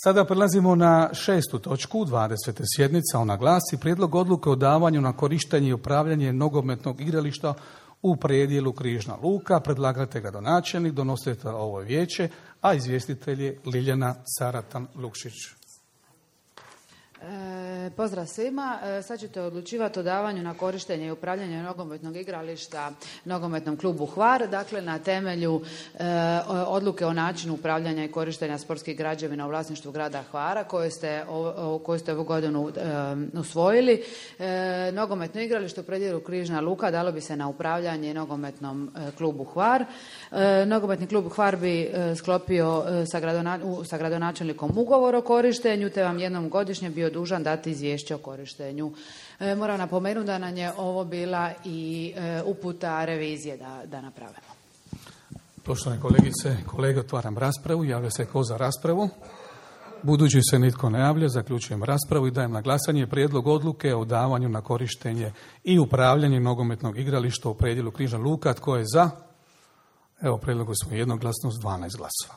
Sada prelazimo na 6. točku 20. sjednica. Ona glasi: prijedlog odluke o davanju na korištenje i upravljanje nogometnog igrališta u predjelu Križna Luka. Predlagatelj gradonačelnik, donositelj ovo vijeće, a izvjestitelj je Ljiljana Caratan-Lukšić. Pozdrav svima. Sad ćete odlučivati o davanju na korištenje i upravljanje nogometnog igrališta nogometnom klubu Hvar. Dakle, na temelju odluke o načinu upravljanja i korištenja sportskih građevina u vlasništvu grada Hvara koju ste ovu godinu usvojili. Nogometno igralište u predjelu Križna Luka dalo bi se na upravljanje nogometnom klubu Hvar. Nogometni klub Hvar bi sklopio sa gradonačelnikom ugovor o korištenju, te vam jednom godišnje bio dužan dati izvješće o korištenju. Moram napomenuti da nam je ovo bila i uputa revizije da napravimo. Poštovane kolegice i kolege, otvaram raspravu. Javlja se tko za raspravu? Budući se nitko ne javlja, zaključujem raspravu i dajem na glasanje prijedlog odluke o davanju na korištenje i upravljanje nogometnog igrališta u predjelu Križna Luka. Tko je za? Evo, prijedlogu smo jednoglasno s 12 glasova.